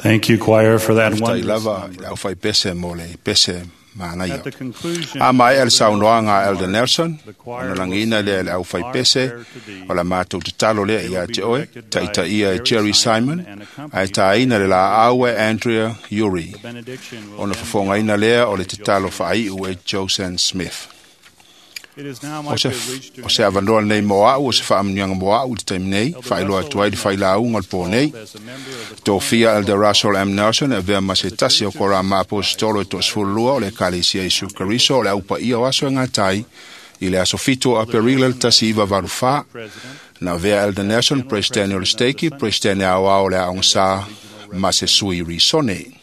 Thank you, choir, for that Faafetai wondrous lava i number. le aufaipese mo le pese manaia. At the conclusion A maea le of the saunoaga a Elder Nelson, the choir ona lagiina will lea e sing le Our aufaipese Prayer to Thee. o la matou tatalo lea They ia will be te oe, directed by taitaia e Jerry Jerry Simon Simon, and ae accompanied tāina by le laau e Andrea Uri. The benediction will Ona then be fofogaina lea o le offered by tatalo Josephine faaiu e Joseanne Smith. It is now my O se, privilege to o se avanoa lenei mo au, o se faamuniaga mo au i le taimi nei, Elder faailoa Russell atu ai le M. failauga o le pō nei. as a member of the Tofia Elder Russell M. Nelson e avea ma se tasi o kora maapostolo e toasefululua o le Ekalesia Iesu Keriso o le aupaia o aso e gatai i le aso 7 o Aperila le 1984 president na avea Elder Nelson presidente o le Stake, presidente aoao o le aogasā ma se sui risone.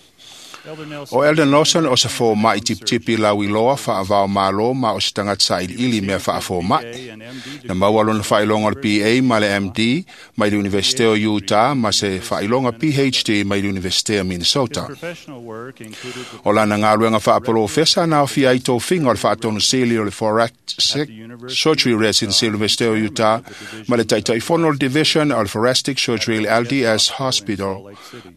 Elder Nelson O Elder Nelson o se fōma'i tipitipi lauiloa faavao malo ma o se tagata sailiili mea faafōma'i. BA and MD Na maua lona faailoga o le BA ma le MD mai le Universite o Utah ma se faailoga PhD mai le Universite o Minnesota. professional work included the O lana galuega faapolofesa na aofia ai tofiga o le faatonusili o le Thoracic Surgery Residency o le Universite o Utah ma le taitaifono o le Division o le Thoracic Surgery i le LDS Hospital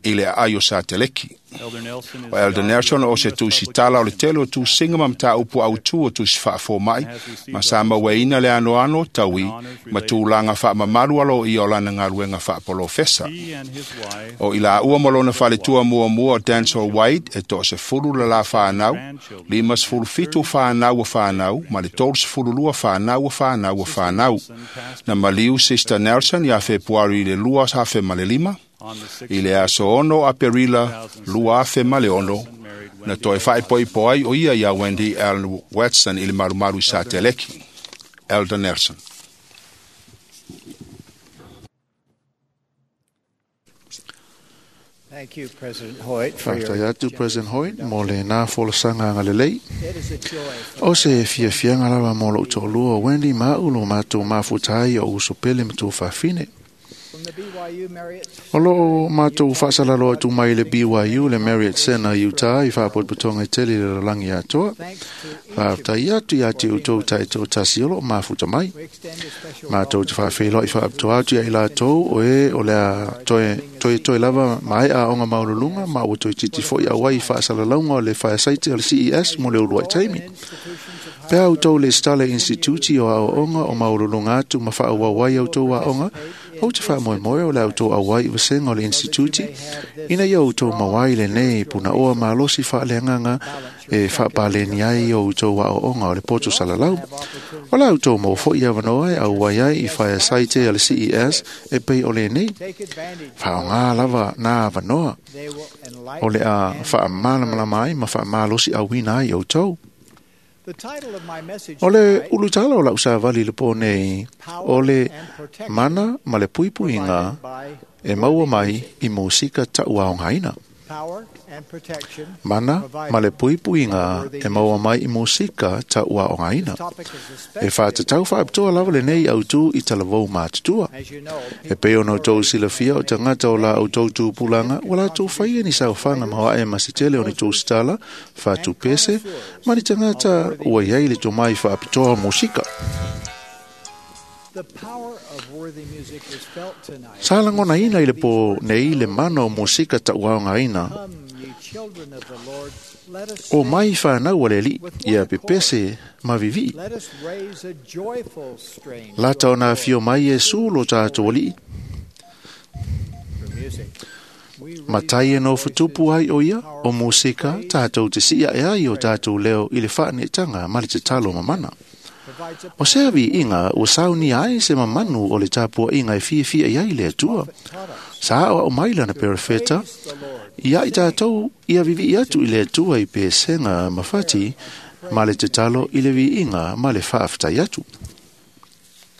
i le aai o Sateleki. Elder Nelson is O Elder the Nelson author o of se U.S. tusitala o le tele o tusiga ma mataupu autū o tusi faafōma'i ma sa mauaina le anoano taui ma tulaga faamamalu aloaia o lana galuega faapolofesa. He and his wife O i laua ma lona faletua muamua o Denzel White e toasefulu le la whānau, 57 whānau o whānau, ma le 32 whānau o whānau o whānau. Na maliu Sister Nelson ia Fepuari i le 2005, on the 6th i le aso 6 Aperila 2006, na toe faaipoipo ai o ia ia Wendy L. Watson i le malumalu i Sateleki. Elder Nelson. Thank you, President Hoyt, for your Faafetai atu President Hoyt mo le nā folasaga agalelei. It is a joy for O se fiafiaga lava mo lou toalua o Wendy ma au lo matou mafuta ai o uso pele ma tou faafine. from the BYU Marriott O loo matou faasalalo atu mai le BYU le Marriott Center Utah i faapotopotoga i tele i le lalolagi atoa. Thanks to each of Faafetai atu ia te outou taitoatasi o loo mafuta mai. we extend a special Matou te welcome faafeiloai faapitoa atu ia i latou o e o le a toe, toe, toe lava maea aoga maululuga ma ua toe titi fo'i auai i faasalalauga o le faesaite o le CES mo le uluai taimi. institutions of Pe au tou le stala instituti o aoaoga o maululuga atu ma faaauau ai outou aoga, ou te faamoemoe o le outou auai i vasega o le instituti, ina ia outou maua ai lenei punaoa malosi faaleagaga e faapaleni ai o outou aoaoga o le poto salalau. O la outou maua fo'i avanoa e auai ai i faesaite a le CES e pei o lenei. take advantage. Faaaogā lava nā avanoa They will o enlighten le a and faamalamalama ai ma faamalosi auina ai outou. The title of my message O le tonight, ulutala o lau savali le pō nei, o le Power and Protection mana ma le puipuiga provided by e maua mai i musika taʻuaogaina. power and protection. Mana ma le puipuiga e maua mai i musika taʻuaogaina. Topic is E especially whātatau whaapitoa lava lenei autū i talavou mātutua. as you know, E pei ona outou silafia o tagata o la outou tupulaga ua latou faia ni saofaga maoaʻe ma se tele o ni tusitala, faatupese, ma ni tagata ua iai le tomai faapitoa o musika. the power of worthy music is felt tonight. Sa lagonaina i le pō nei le mana o musika taʻuaogaina Come, ye children of the Lord, let us o sing. mai whanau a le alii ia pepese ma vivii. Let us raise a joyful strain to Lata our ona Lord afio mai Iesu lo tātou alii, through music. We raise matai e our no futupu ai o ia, voices o musika tātou te sia e ai o tātou leo i le whaanetanga ma le te talo mamana. provides a O se avi inga ua sauni ai se mamanu o le tāpua inga e fiafia i ai le Atua. taught us Sa o au mai lana to perefeta, praise the Lord. ia i tātou ia vivi atu i le Atua i pesenga mafati, ma le te talo i le viiga ma le faafetai atu.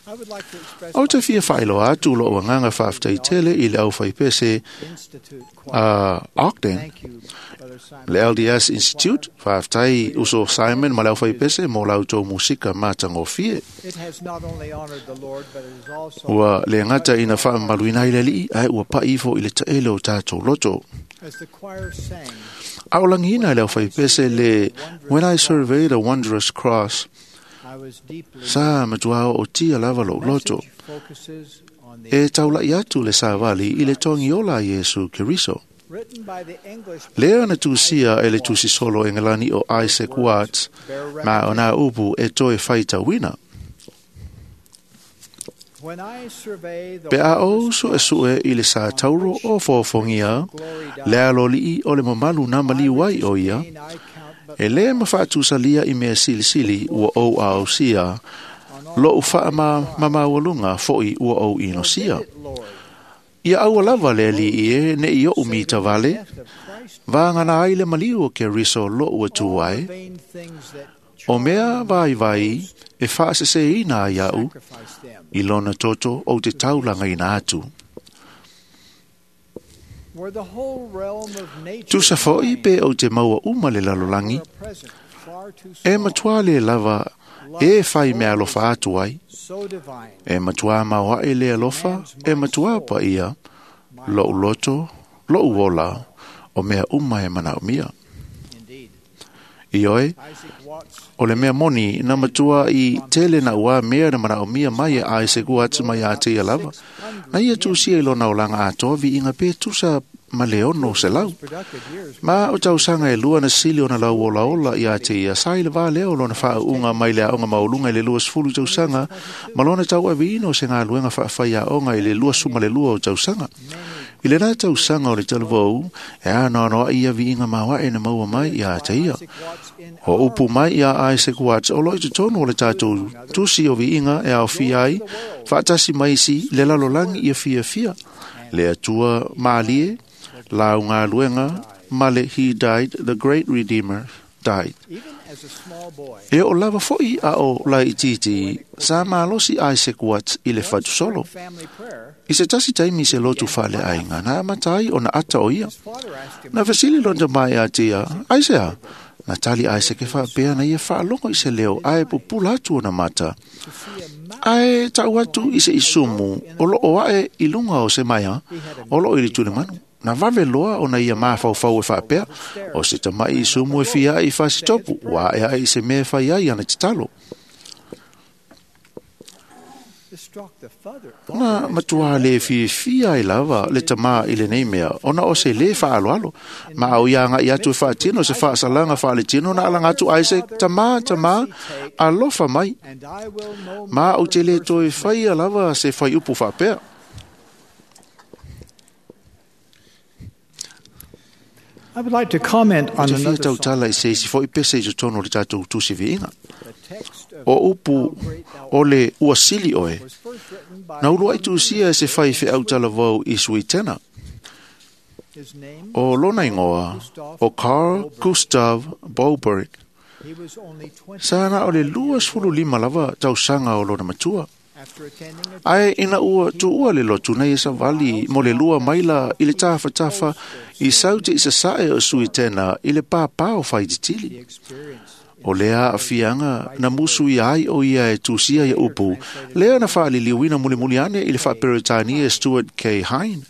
I would like to express O te my fia whaeloa atu lo agaga faafetai tele i le aufaipese Institute choir. a Ogden, Thank you, Brother Simon. le LDS Institute, faafetai uso Simon ma le aufaipese mo la outou musika matagofie. It has not only honored the Lord, but it has also, Ua le gata ina faamamaluina ai le alii, ae ua pai ifo i le taele o tātou loto. as the choir sang, A o lagiina i le aufaipese le When I Survey the Wondrous Cross, I was deeply sa matua o tia lava lou loto. message focuses on the E taulai atu le savali i le togiola a Iesu Keriso. Lea na tusia e le tusi solo e ngalani o Isaac Watts, ma o nā upu e toe whaitauina. Pe a o su e sue i le sa tauro o fōfongia, le alolii o le mamalu na maliu ai o ia, e le mawhaatusalia i mea silisili ua ou aosia, lo u wha ma mamawalunga foi ua ou inosia. Ia aua lava le li i e ne i o mita vale, vāngana ai le maliu o ke riso lo ua tuai, o mea vai vai e whaasese ina ai au, i lona toto o te taulanga ina atu. Tusa foi pe o te maua uma le lalolangi, e matua le lava e whai mea alofa atu ai, e matua maua e le alofa, e matua pa ia, lou loto, lou ola, o mea uma e manao mia. I oe, o le mea moni na matua i tele na ua mea na manao mia mai e Isaac Watts mai a te ia lava. Na ia tusia i lona olanga atoa vi inga pe tusa ma le ono se lau. Ma o tausanga e lua na sili o na lau ola ola i a te ia sai le vā leo lona whaunga mai le aonga maulunga i le 20 tausanga ma lona tau avino se ngā luenga whaawhai aonga i le 22 o tausanga. I le nā tausanga o le talavou, e a noa ia vi inga maua e na maua mai i a te ia. O upu mai i a Isaac Watts o loi te tonu o le tātou tusi o vi inga e ao fia ai, whaatasi mai si le lalolangi ia fia fia. Le atua mālie, lau ngā luenga, male he died, the great redeemer died. E o lava foi a o lai titi, sa malosi Isaac Watts i le whatu solo. I se tasi taimi se lotu whale ainga, na matai o na ata o ia. Na vesili londa mai a tia, Isaiah, na tali Isaac e whaapea na ia whaalongo i se leo, ae pupula atu o na mata. Ae tau atu i se isumu, o lo o ae i lunga o se maia, o lo i le tule manu. Na vave loa o na ia mawhauwhau e whaapea, o se tamai i sumu e fia i whasitopu, wa e ai se mea whai ai ana te talo. Na matua le fia ai lava le tama i le nei mea, ona o se le whaaloalo. Ma au ia ngā i atu e whaatino se whaasalanga whaale tino na alanga atu ai se tama, tama, alofa mai. Ma au te le toi whai a lava se whai upu whaapea. I would like to comment on Te fia another song. tautala i se isi foi pese i totonu o le tātou tusi viinga. The text of O upu o le uasili oe. was first written by Na ulua i tusia e se whai whe au talavau i Suitena. his name. O lona ingoa, o Carl Gustav Boberg. He was only 20 Sa na o le 25 lava tausanga o lona matua. after attending a Ae ina ua tuua le lotu nei e sa vali mo le lua maila i le tafa tafa i saute i sa sae o Suitena i le pāpā o whaititili. the experience. O lea a fianga na musu i ai o ia e tusia ia upu. Lea na whaaliliuina muli muli ane i le whaaperetania Stuart K. Hine.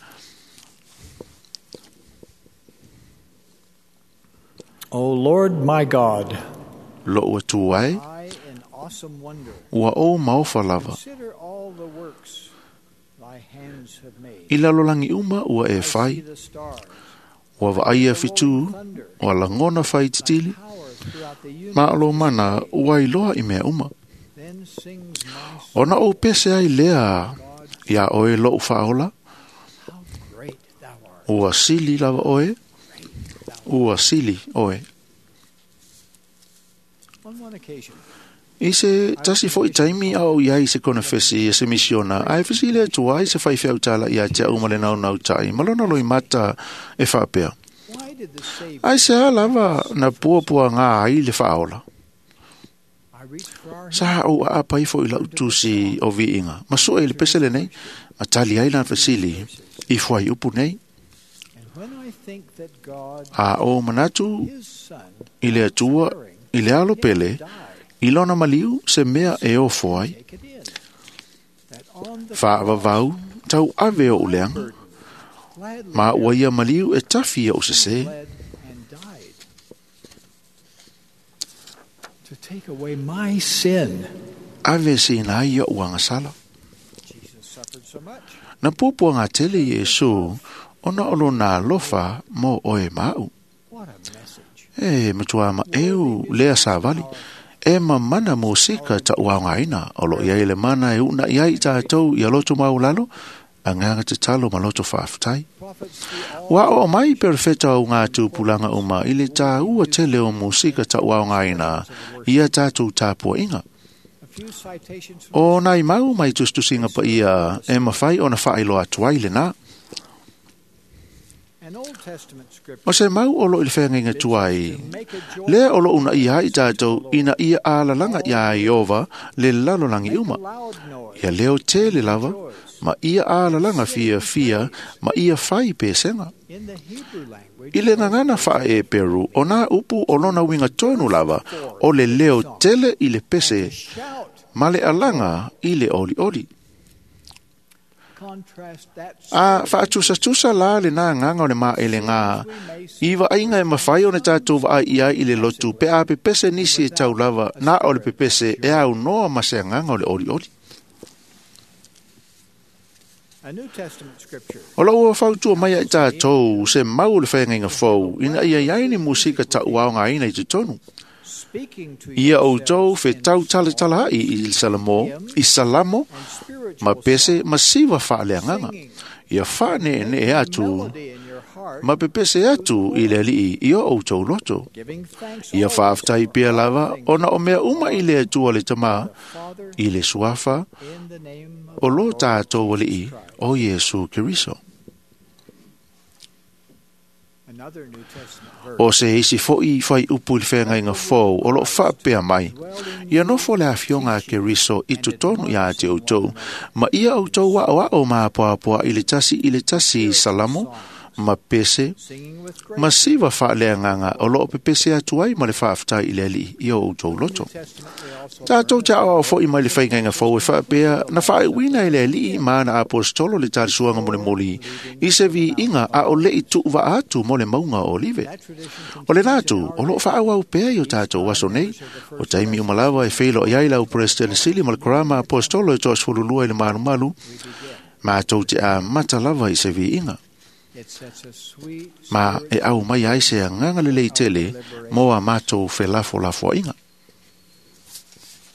O Lord my God, Lo ua tuai, I in awesome wonder ua o maofa lava. consider all the works thy hands have made. I lalolangi uma ua e I see whai, the stars, ua vaaia fitu, ua langona whai thy titili, power throughout the universe. ma alo mana ua iloa i mea uma. Then sings my soul, Ona o pese ai lea, God, ia oe lou whaola, how great thou art. ua sili lava oe, ua sili oe. On one occasion, I se tasi foi taimi au i ai se kona fesi e se misiona, ai fesi le atu ai se whai whiau tala i a te au ma le nau nau tai, ma lona loi mata e whaapea. why did the Savior Ai se a lava na pua pua ngā ai le whaola. I reached for our Sa au a apa ifo i lau tusi o viinga. Ma sua i le pesele nei, ma tali ai lan fesili i fuai upu nei. And when I think that God, A o manatu his Son, i le atua, i le alo pele, died, i lona maliu se mea e ofo ai. take it in. That on the Whaavavau, tau ave o uleanga. burden, gladly Ma ua ia maliu e tawhi o se se. bled and died to take away my sin. Ave se ina ia uanga sala. Jesus suffered so much. Na pupua ngā tele Iesu Ona o lona alofa mo oe ma'u. What a message. E matua ma eu lea savali. E mamana musika ta'uaogaina o loo i ai le mana e u'una'i ai i tatou ia loto maulalo agaga tatalo ma loto faafetai. Prophets through all Ua oo mai perefeta o ngā tupulaga uma i le tāua tele o musika ta'uaogaina ia tatou tapua'iga. a few citations from O nai mau mai tusitusiga paia e mafai ona faailoa atu ai lenā. an Old Testament scripture O se mau o loo i le feagaiga tuai, to make a joyful lea o loo unaia ai tatou ina ia alalaga iā Ieova le lalolagi make a uma. loud noise Ia leo tele lava, ma ia alalaga fiafia, ma ia fai pesega. in the Hebrew language. I le gagana faa-Eperu, o nā upu o lona uiga tonu lava, o le leo tele i le pese, Shout. ma le alaga i le olioli. Contrast that A faatusatusa la lenā agaga o le maʻelegā i vaaiga e mafai ona tatou vaai i ai i le lotu pe a pepese nisi e tau lava na o le pepese e aunoa ma se agaga o le olioli. a New Testament scripture O loo ua fautua mai ai tatou se mau o le feagaiga fou ina ia iai ni musika taʻuaogaina i totonu. speaking to Ia outou yourselves in fetau talatalaai i Salamo, i Salamo and spiritual ma pese songs, ma siva faaleagaga. singing, Ia faaneenee atu melody in your heart, ma pepese atu i le alii i o outou loto. giving thanks Ia always faafetai for pea all lava things ona o mea uma i le Atua le Tamā, to the Father i le Suafa, in the name of o our lo Lord tatou alii, Jesus Christ. o Iesu Keriso. Another New Testament verse. O se isi fo'i fai upu i le feagaiga fou o loo faapea mai. Ia nofo le afioga a Keriso i totonu iā te outou, ma ia outou a'oa'o ma apoapoa i le tasi i Salamo, ma pese, Singing with ma grace. siva faaleagaga o loo pepese atu ai ma le faafetai i le alii i o outou loto. New Testament we also Tatou learn te aoao fo'i mai le faigaiga fou e faapea na faaiuina e le alii ma ana apostolo le talisuaga molemoli i se viiga a o le'i tuuvaa atu mo le mauga o Olive. that tradition O lenā atu, o loo faaauau pea i o tatou aso nei, o taimi uma lava e feiloai ai lau President Sili ma le Karama Apostolo e 32 i le malumalu, matou te amata lava i se viiga. it sets a sweet Ma spirit e au mai ai se agaga lelei tele mo a matou felafolafoaiga.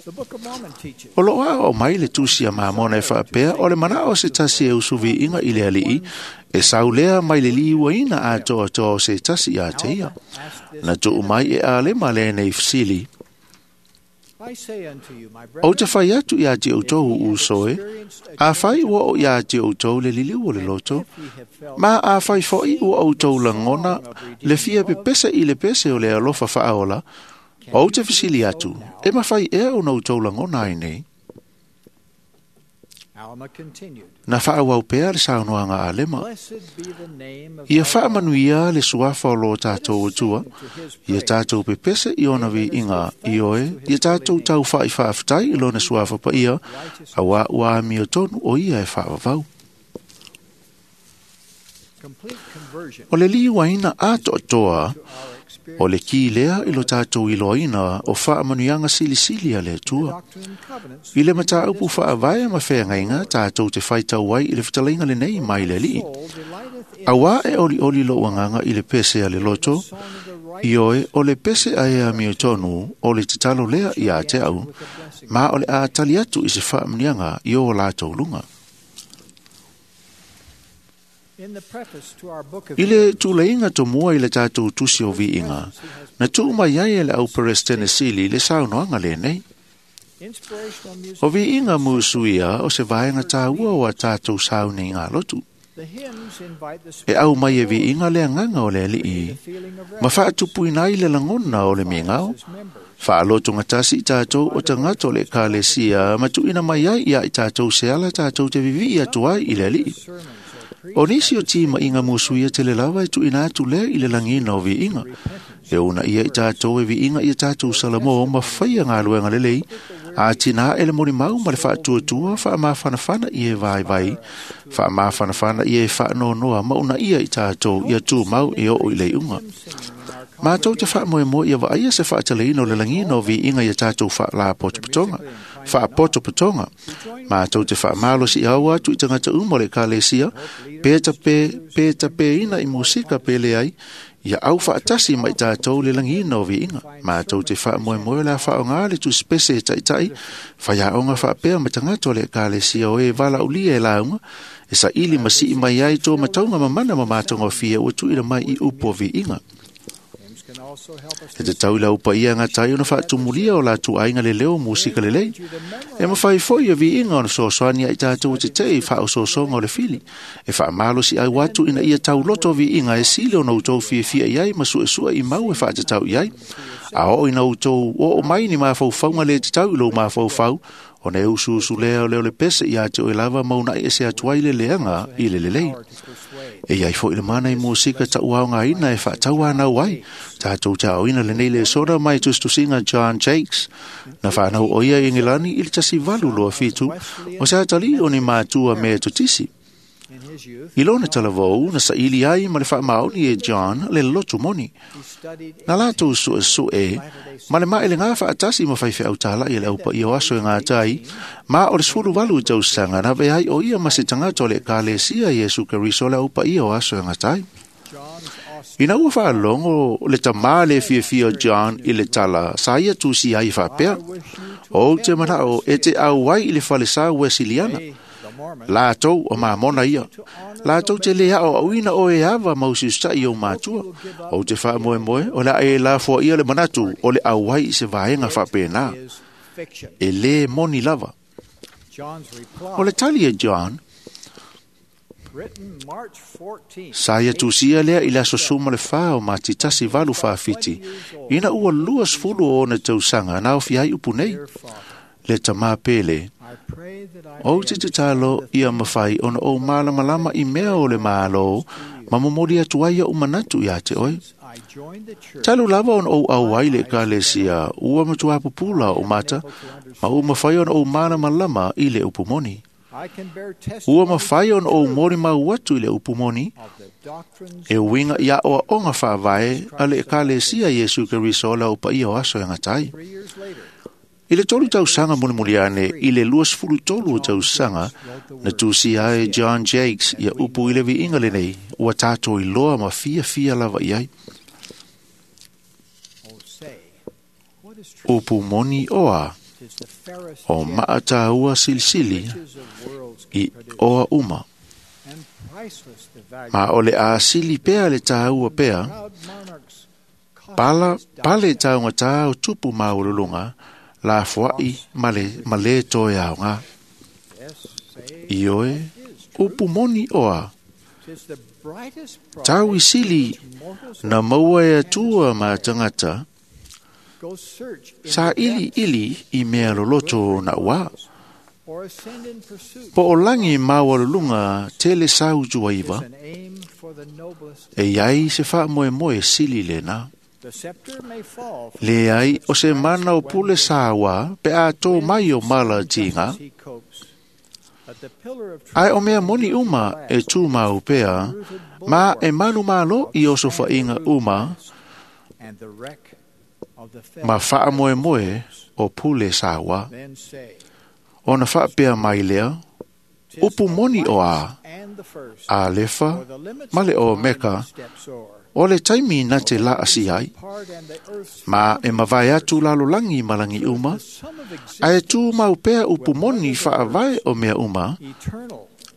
The Book of Mormon teaches O loo aoao mai le tusi a Mamona e faapea o le manao o se tasi e usuviiga i le alii, e saulea mai le liuaina atoatoa o se tasi ia te ia. ask this Na tuu mai e alema lenei fesili, I say unto you, my Ou te brethren, fai atu iā te outou if ye have uso e, experienced a a fai change ua of o iā te outou le liliu o le loto, if ye have felt ma a fai fo'i ua outou lagona le fia pepese i le pese o le alofa faaola, ou te fesili atu, e mafai ea ona outou lagona ai nei. Alma continued, Na faauau pea le saunoaga a Alema, Blessed be the name of Ia our God. faamanuia le suafa o lo Let us tatou Atua, sing to his ia praise. tatou pepese i ona viiga i oe, ia tatou tau fa'ifaafetai i lona suafa paia, auā ua amio tonu o ia e faavavau. Complete conversion O le liuaina atoatoa to our experience o le ki lea i lo tatou iloaina o faamanuiaga silisili a le Atua. Doctrine and Covenants I le mataupu faavae ma feagaiga tatou te faitau ai i le fetalaiga lenei mai le alii. soul delighteth in Auā e olioli lou agaga i le pese a le loto, the song of the righteous i oe o le pese ae amio tonu o le tatalo lea iā te au, with a blessing. ma o le a tali atu i se faamanuiaga i o latou luga. In the preface to our book of I le tuleiga tomua i le tatou tusi o viiga, na tuu mai ai e le au Peresetene Sili le saunoaga lenei. inspirational music, O viiga musuia o se vaega tāua o a tātou sauniga lotu. the hymns invite the E spirit au mai e viiga le agaga o le alii, the feeling of ma faatupuina ai le lagona o le migao, as members. Faalotogatasi i tatou o tagata o le ekalesia ma tuuina mai ai ia i tatou se ala tatou te vivii atu ai i le alii. Sermons are preached O nisi o tima'iga musuia tele lava e tuuina atu lea i le lagina o viiga. E una ia i tatou e viiga ia tatou Salamo ma faia galuega lelei, a tinā e le molimau ma le faatuatua faamafanafana i e vaivai, faamafanafana i e faanoanoa ma una ia i tatou ia tumau e oo i le iuga. hymn singing in our Mātou te faamoemoe ia vaaia se faataleina o le lagiina o viiga ia tatou faalapotopotoga faapotopotoga. Mātou te faamalosiau atu i tagata uma o le Ekalesia pe tapeina i musika pe leai ia au faatasi ma i tatou le lagiina o viiga. Mātou te faamoemoe o le a faaaogā le tusipese e taitai faiaoga faapea ma tagata o le Ekalesia o e valaaulia e lauga e saili ma sii mai ai tō matauga mamana ma matagofie ua tuuina mai i upu o viiga. E tatau i le aupaia gatai ona faatumulia o latou aiga leleo musika lelei. E mafai foi ia viiga ona fesoasoani ai tatou e tetee i faaosoosoga o le fili. E faamalosiau atu ina ia tauloto viiga e sili ona outou fiafia i ai ma suesue i mau e faatatau i ai. A oo ina outou oo mai ni mafaufauga le tatau i lou mafaufau, ona e usuusu lea o leo le pese ia te oe lava ma una'i ese atu ai le leaga i le lelei. E iai foi le mana i musika taʻuaogaina e faatauanau ai tatou taoina lenei lesona mai tusitusiga John Jakes na fanau o ia i Igilani i le 1827 o se atalii o ni matua Metotisi. I lona talavou na saili ai ma le faamaoni e John le lotu moni. Na latou suesue ma le maelega faatasi ma faifeau talaʻi e le aupaia o aso e gatai ma o le 18 tausaga na avea ai o ia ma se tagata o le Ekalesia Iesu Keriso o le aupaia o aso e gatai. Ina ua faalogo le tamā le fiafia o John i le tala sa ia tusi ai faapea, ou te manao e te auai i le falesa Wesiliana. Latou o mamona ia. Latou te le ao auina o e ava mau siusa'i o matua. Ou te faamoemoe o le a e lafoa ia le manatu o le auai i se vaega faapena. E lē moni lava. O le tali e John, sa ia tusia lea i le aso 14 o Mati 1847, ina ua 20 o ona tausaga na aofia ai upu nei. Le tamā pele, ou te tatalo ia mafai ona ou malamalama i mea o le malo ma momoli atu ai o'u manatu iā te oe. Talu lava ona ou auai le Ekalesia ua matuā pupula o'u mata ma ua mafai ona ou malamalama i le upu moni. Ua mafai ona ou molimau atu i le upu moni e uiga i aʻoaʻoga faavae a le Ekalesia Iesu Keriso o le aupaia o aso e gatai. I le 3 tausaga mulimuli ane i le 23 o tausaga na tusia ai John Jakes ia upu i le viiga lenei ua tatou iloa ma fiafia lava i ai. Upu moni oa o maatāua silisili i oa uma. Ma o le asili pea le tāua pea, pala, pale taugata o tupu maualuluga lafoaʻi ma le ma lē toe aogā. Ioe, upu moni oa, tau isili na maua e Atua ma tagata, sa iliili i mea loloto na uā. Po o lagi maualuluga tele sautuaiva, e iai se faamoemoe sili lenā. Leai o se mana o pule sāua pe a tō mai o mala tiga, ae o mea moni uma e tūmau pea, ma e manu malo i oso whainga uma, ma faamoemoe o pule sāua. Ona faapea mai lea, upu moni o a, Alefa ma le Omeka, o le taimi na te laasi ai, ma e mavae atu lalolagi ma lagi uma, ae tū mau pea upu moni faavae o mea uma,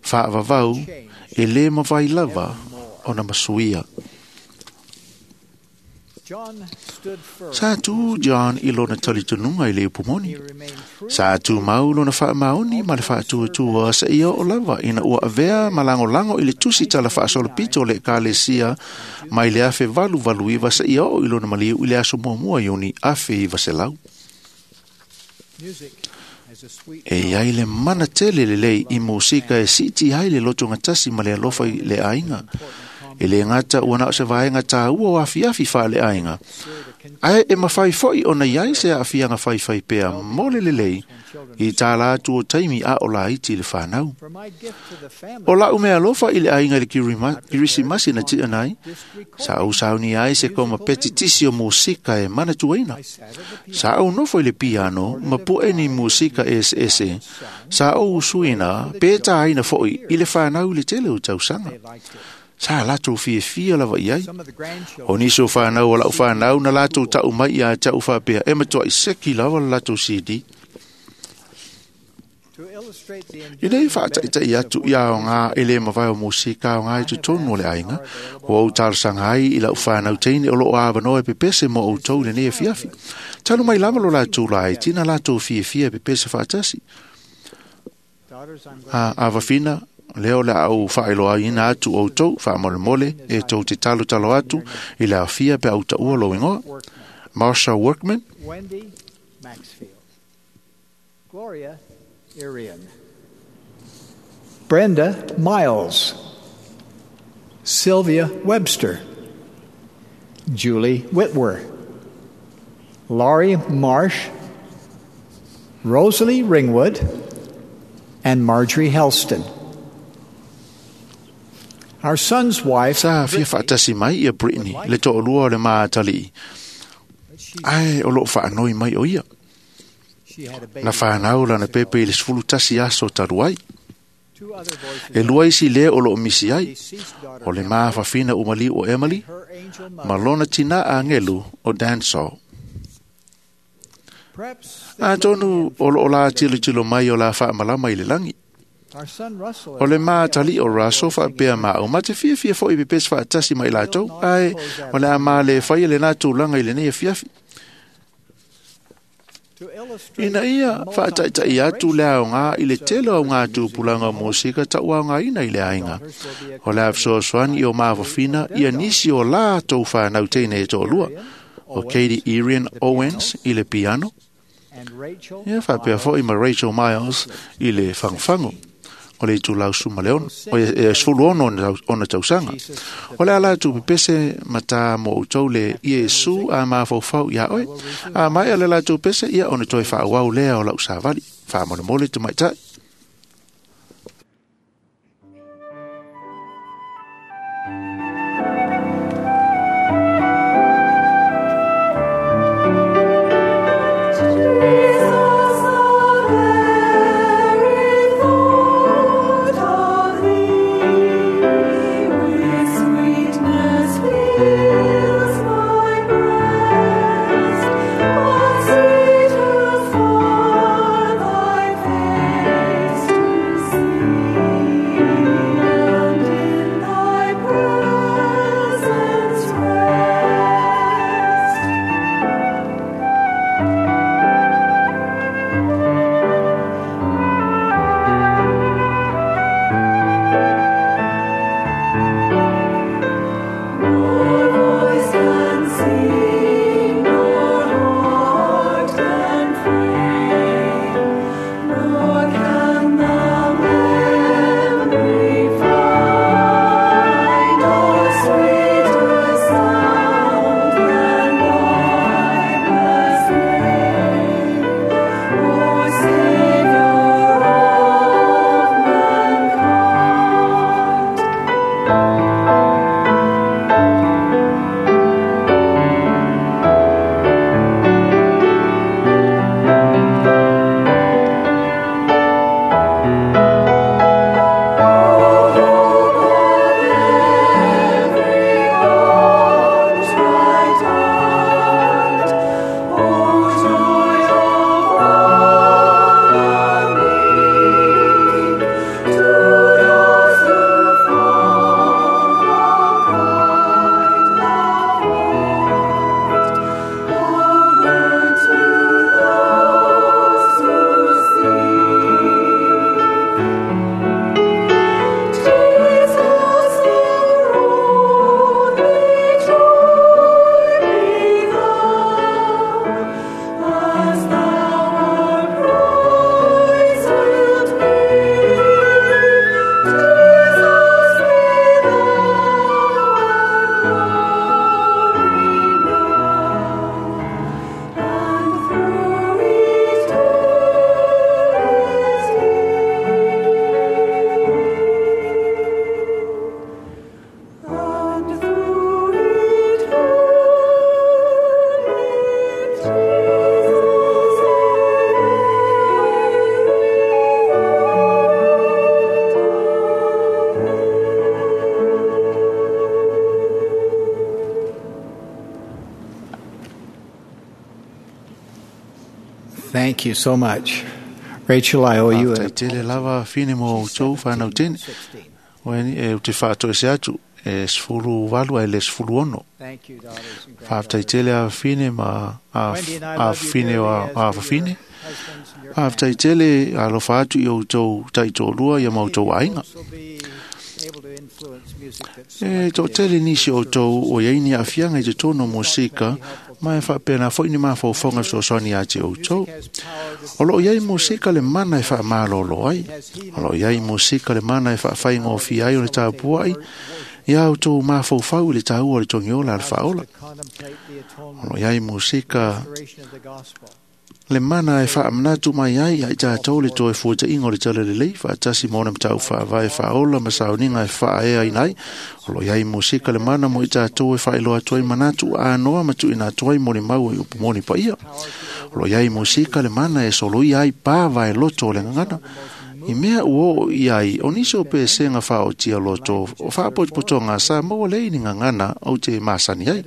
faavavau e lē mavai lava ona masuia. Sa tū John i lona talitonuga i le upu moni. Sa tūmau lona faamaoni ma le faatuatua sa ia o lava ina ua avea ma lagolago i le tusi tala faasolopito o le Ekalesia mai le 1889 sa ia oo i lona maliu i le aso 1 Iuni 1900. E iai le mana tele lelei i musika e siiti ai le lotogatasi ma le alofa i le aiga. E le gata ua na o se vaega tāua o afiafi faaleaiga, ae e mafai fo'i ona iai se aafiaga faifai pea mo le lelei i tā latu o taimi a o laiti le whanau. For my gift to the family, O lau mea alofa i le aiga i le Kirisimasi na tia nai, sa au sauni ai se koma peti tisi o musika e manatuaina. I sat at the piano Sa au nofo i le piano ma pu'e ni musika eseese. Sa au usuina pe tāina fo'i i le whanau i le tele o tausaga. they liked it. Sa latou fiafia lava i ai. Some of the grandchildren O nisi o whanau o lau whanau na latou tau mai ia tau whapea e matua i seki lava le latou CD. to illustrate the I nei enduring whaataitai benefits atu of i worthy ao ngā e le mawai o musika o ngā i totonu o le aiga, o au talosanga ai i lau whanau teine o loo awanoa e pepese mo au tau le nei fiafi. Talu mai lava lo latou lai, tina latou fiafia e pepese whaatasi. daughters, I'm going A, a wawhina, leo le au whaeloa ina atu o tau, whamolemole, e tau te talo talo atu, i le afia pe au taua lo ingoa. Workman, Marsha Workman, Wendy Maxfield, Gloria Irian, Brenda Miles, Sylvia Webster, Julie Whitwer, Laurie Marsh, Rosalie Ringwood, and Marjorie Helston. Our son's wife, sa fia Brittany, whaatasi mai ia Brittany, le to'olua o le mātali'i. but she, Ai, o loo whaanoi mai o ia. she had a baby. Na whanau lana pepe i le sefulu tasi aso talu ai. Two other voices E lua isi lea o loo misi ai, deceased daughter o le maafafina umali o Emily, her angel ma mother. lona tina angelu o Dansol. Perhaps they're Atonu looking o loo la in. tilo tilo mai o la whaamalama i le langi. Our son Russell O le and I mātali o Russell whaapea ma au mate fiafia fo i pepesi whaatasi mai latou, ai o le a mā le whai le nā tūlanga i le nei fiafi. to illustrate Ina ia the whaataitai atu le ao ngā i le tele o ngā multi-generational tūpulanga o musika tau ao ngā ina i le ainga. daughters will be O le awhisoasoani i o maawafina ia nisi o la tau whanau teine e tōlua. O Katie Irian Owens i le piano, and Rachel ia whapea foi ma Rachel Miles i le whangwhango. O le itulau suma leon, o e sefulu ono ona tausaga. O le ala atu pepese mata mo outou le Iesu a mafaufau ia oe. A mai ale latou pese ia ona toe whaawau lea o lau savali. Whaamolemole te maitai. Jesus, the very thought of Thee with sweetness fills my breast. But sweeter far Thy face Thank you so much. Rachel, I owe you a Faafetai tele lava fine mo outou whanau tene. Oe e te whaatoe se atu e 18 ai le 16. Thank you, daughters and Faafetai granddaughters. tele a fine ma a, Wendy and I a love you fine dearly o as a do your fafine. husbands and your Faafetai tele alofa atu i outou taitoalua ia ma outou aiga. Folks will be able to influence music that's E selected tō tele nisi o tau o iai ni afianga i te tono musika, ma e whaapena foi ni mawhauwhaunga fesoasoani a te outou. Music has power to O loo iai musika le mana e whaamalolo ai. O loo iai musika le mana e whaawhaingōwhi ai o le tāpuai, ia outou mawhauwhau i le tāua o le tongiola a le whaola. to contemplate the O atonement loo iai musika restoration of the gospel. le mana e whaamanatu mai ai ai tātou le toe fuatainga o le tala lelei whaatasi mōna matau whaavae whaola ma sauninga e whaaea inai. O lo iai musika le mana mo i tātou e whaeloa atu ai manatu a noa matu ina atu ai mo le mau i upu moni paia. O lo iai musika le mana e soloi ai pāva e loto o le ngangana. I mea ua o i ai, o nisi o pesenga whaotia loto, o whaapotopotonga sa maua lei ni ngangana au te masani ai.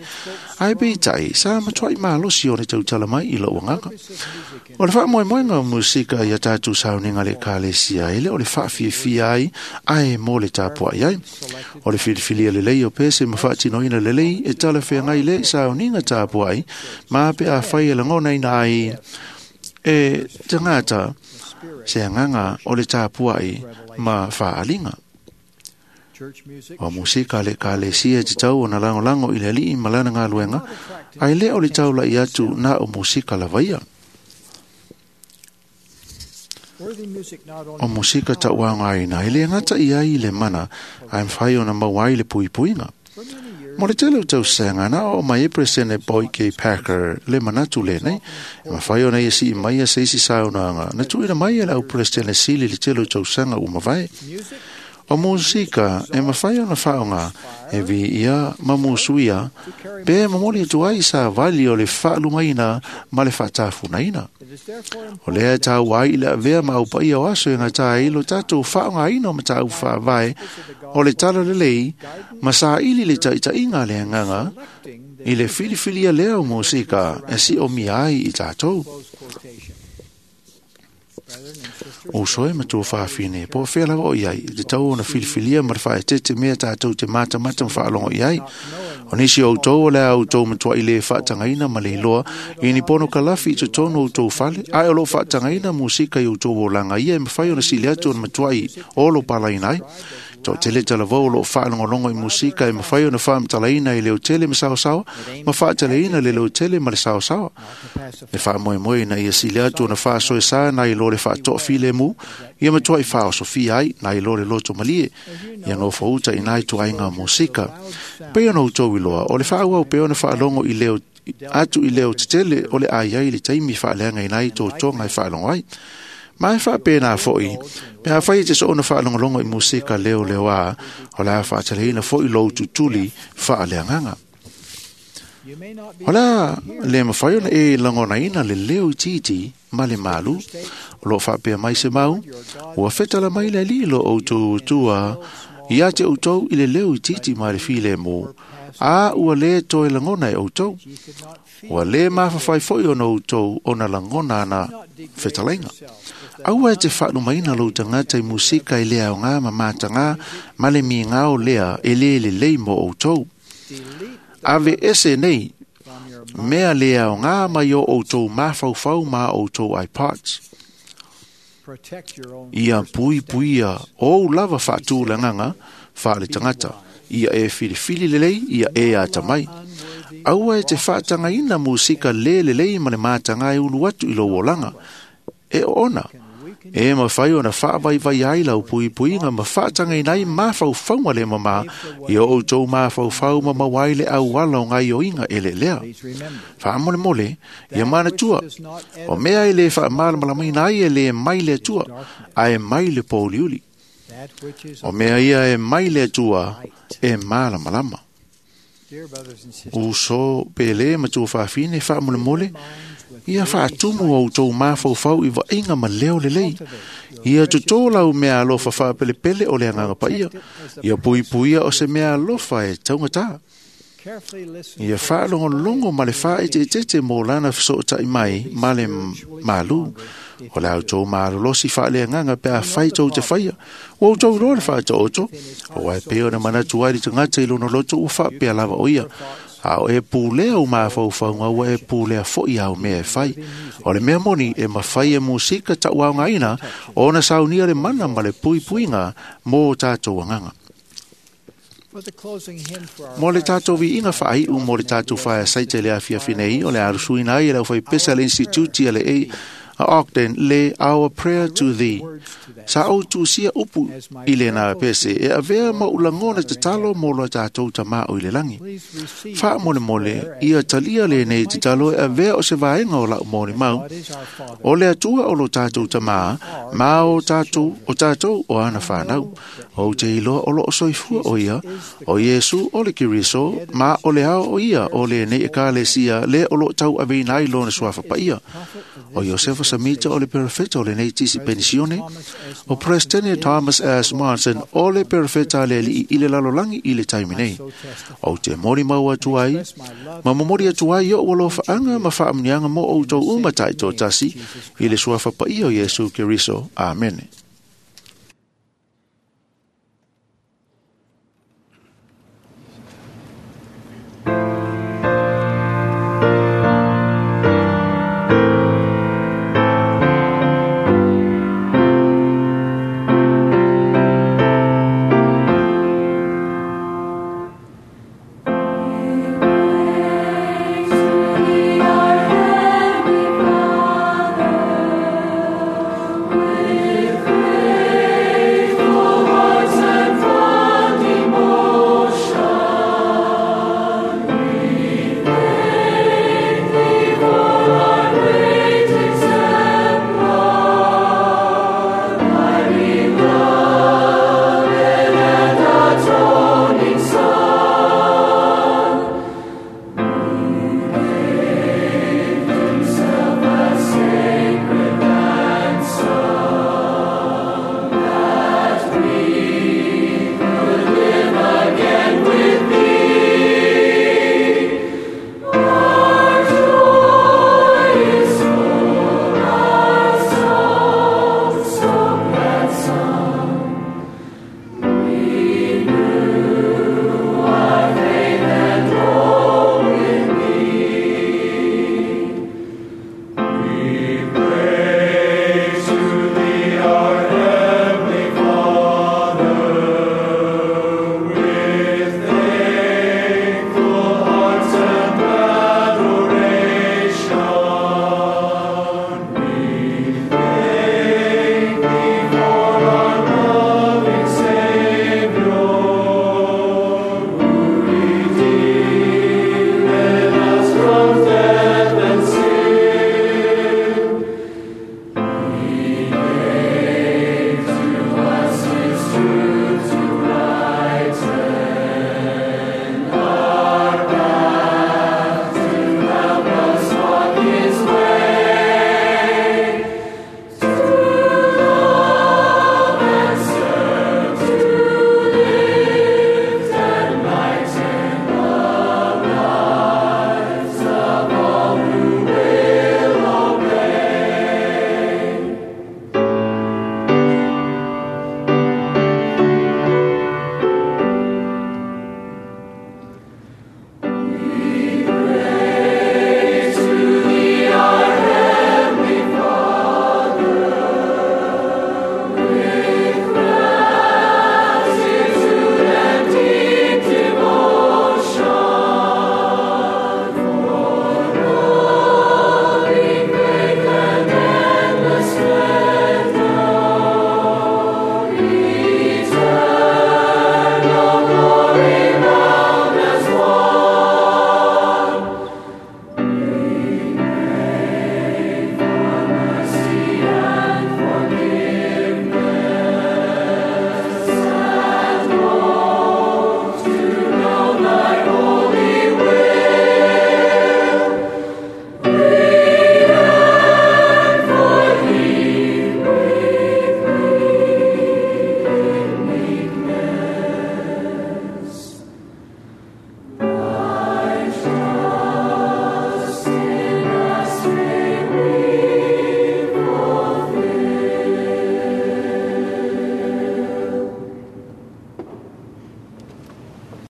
Ai peitai, sa matuai malosi o le tautala mai i lau anganga. O le whaamoemoenga o musika ia tātou sauninga le kalesia ele o le whaafiafia ai, ai mō le tāpua ai. O le whiriwhiria le lei o pese ma whaatinoina le lei e tala whengai le sauninga tāpua ai, mā pe a whai e langona ina ai e tangata se anganga o le tāpua ai ma whaalinga. Church music O musika le kalesia te tau o na langolango i le alii ma lana ngā luenga, ai le o le taula i atu nā o musika lavaia. Worthy music not only O musika tauanga ina, e le ngata i ai le mana, ai mwhai o na mauai le puipuinga. for many years Mo le tele o tau senga na o mai e presene Boyd K. Packer le manatu le nei, e mawhai o nei e si i mai a seisi saunoanga, na tuina mai e lau presene sili le tele o tau senga u mawai. music O musika e mawhai o na whaonga e vi ia ma musuia, pe mamoli atu ai sa vali o le whaalumaina ma le whaatafunaina. it is therefore O lea tau ai i le avea ma au paia o aso e ngā tā ilo tātou whaonga ino ma tāu whaavae o le tala lelei ma sa ili le taitainga le anganga selecting the i le filifilia lea o musika e si o mia ai i tātou. close quotation. Brethren and sisters, O soe ma tō whawhine, po whea lava o iai, te tau o na filifilia ma te whaetete mea tātou te mātamata ma whaalongo iai. O nisi o tau o lea au tau matua i le whaatangaina ma le iloa, i ni pono kalafi i te tono o tau whale, ai o lo whaatangaina musika i o tau o langa ia e mawhai o na sili atu o na matua i o lo palaina ai. Tō tele talavau o lo whaalongolongo i musika e mawhai o na whaamatalaina i leo tele ma saosaoa, ma whaatalaina le leo tele ma le saosaoa. not to pacify Le whaamoemoe na ia sili atu o na whaasoe sā na i lo le whaatoa le mu, ia matua i whaosofia ai na i lo le loto malie, ia ngau whauta i nai tu ai ngā musika. Pei ona utou i loa, o le whaauau pe ona whaalongo i leo atu i leo tetele o le ai ai le taimi whaaleanga i nai tō tōnga i whaalongo ai. Ma e whaapēnā foi, pe a whai te soona whaalongolongo i musika leo leo a, o la whaataleina foi lou tutuli whaaleanganga. You may not be Ola, le mawhai ona e langona ina le leo i titi, ma le malu, o lo whaapea mai se mau, ua whetala mai le lilo o tō tua, ia te outou i le leo i titi ma le file mō, a ua le toe langona e outou, ye could not feel ua le mawhawhai foi ona outou ona langona ana not degrade whetalainga. yourself with the Aua e te whaalumaina lou tangata i musika i lea o ngā mamata ngā, ma le mi ngā o lea e le le lei mō outou. delete Ave ese nei, from your mind. mea lea o ngā mai o outou mawhauwhau ma outou iPods. Protect your own Ia personal pui puia standards. o lava whaatūlanganga whaale tangata. Ia e whiriwhiri lelei, ia e ata mai. Unworthy Aua e te whaatangaina musika le lelei ma le mātanga e ulu atu i lou olanga. E ona, can weaken e mawhai ona whaavaivai ai lau puipuinga ma whaatangaina ai mawhauwhaunga le mama i o outou mawhauwhau ma mawai le auala o ngai oinga e le lea. Please remember Whaamole mole, ia that mana which tua. does not O mea e le whaamalamalamaina ai e le mai le atua, a e mai le pōliuli. that which is O mea ia e mai le atua, e malamalama. dear brothers and sisters O so pele matua whaafine whaamole mole, minds with ia whaatumu o tō mawhauwhau i vainga ma leo le lei. cultivate your Ia tō lau mea alofa whaapelepele o le anganga paia. Ia puipuia o se mea alofa e taungata. Ia faalogologo ma le faaeteetete mo lana fesootai mai ma le malu. O le a outou malolosi faaleagaga pe afai tou te faia. Ua outou iloa le faataoto, aua e pei ona manatu ai le tagata i lona loto ua faapea lava o ia. A o e pulea u mafaufauga ua e pulea fo'i au mea e fai. O le mea moni e mafai e musika ta'uaogaina ona saunia le mana ma le puipuiga mo tatou agaga. Mo le tatou viiga faai'u mo le tatou faeasaita i le afiafi nei, o le alusuina ai e le aufaipese a le Instituti a le A a Ogden le Our Prayer to Thee. Sa ou tusia upu i lena pese e avea ma ulagona tatalo mo lo tatou tamā o i le lagi. Faamolemole ia talia lenei tatalo e avea o se vaega o la'u molimau. O le Atua o lo tatou tamā, ma o tatou o tatou o ana fanau. Ou te iloa o loo soifua o ia, o Iesu o le Keriso, ma o le ao o ia o lenei ekalesia le o loo tauaveina ai lona suafa paia. O Iosefa Samita o le perofeta o lenei tisi penisione, o Presidente Thomas S. Monson o le perofeta a le alii i le lalolagi i le taimi nei. Ou te molimau atu ai, ma momoli atu ai o'u alofaaga ma faamuniaga mo outou uma taitoatasi i le suafa paia o Iesu Keriso. Amene.